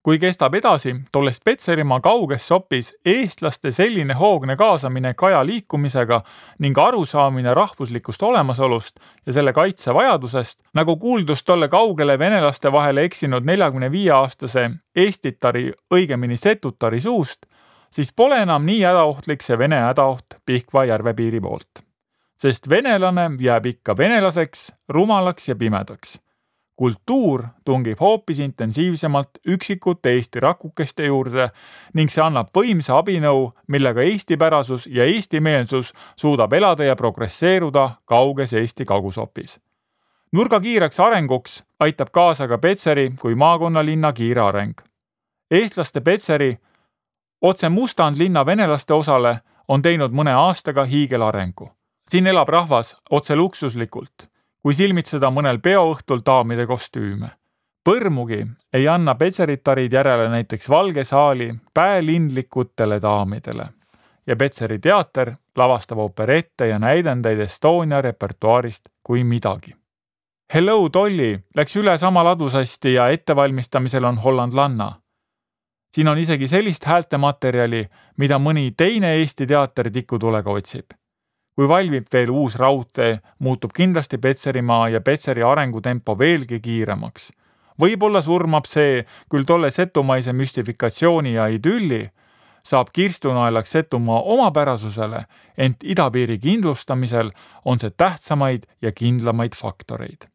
Kui kestab edasi, tollest Petserimaa kauges sopis eestlaste selline hoogne kaasamine kaja liikumisega ning arusaamine rahvuslikust olemasolust ja selle kaitse vajadusest, nagu kuuldus tolle kaugele venelaste vahele eksinud 45-aastase Eestitari, õigemini Setutari suust, siis pole enam nii hädaohtlik see Vene hädaoht Pihkva järvepiiri poolt. Sest venelane jääb ikka venelaseks, rumalaks ja pimedaks. Kultuur tungib hoopis intensiivsemalt üksikute Eesti rakukeste juurde ning see annab võimsa abinõu, millega eestipärasus ja eestimeelsus suudab elada ja progresseeruda kauges Eesti kagusopis. Nurga kiireks arenguks aitab kaasa ka Petseri kui maakonnalinna kiire areng. Eestlaste Petseri otse Mustand linna venelaste osale on teinud mõne aastaga hiigelarengu. Siin elab rahvas otse luksuslikult, kui silmitseda mõnel peoõhtul daamide kostüüme. Põrmugi ei anna Petseritarid järele näiteks Valge saali päälindlikutele daamidele. Ja Petseri teater lavastab operette ja näidendeid Estonia repertuaarist kui midagi. Hello Dolly läks üle sama ladusasti ja ettevalmistamisel on hollandlanna. Siin on isegi sellist häältematerjali, mida mõni teine Eesti teater tikutulega otsib. Kui valmib veel uus raudtee, muutub kindlasti Petserimaa ja Petseri arengutempo veelgi kiiremaks. Võib-olla surmab see küll tolle setumaise müstifikatsiooni ja idülli, saab kirstunaelaks Setumaa omapärasusele, ent idapiiri kindlustamisel on see tähtsamaid ja kindlamaid faktoreid.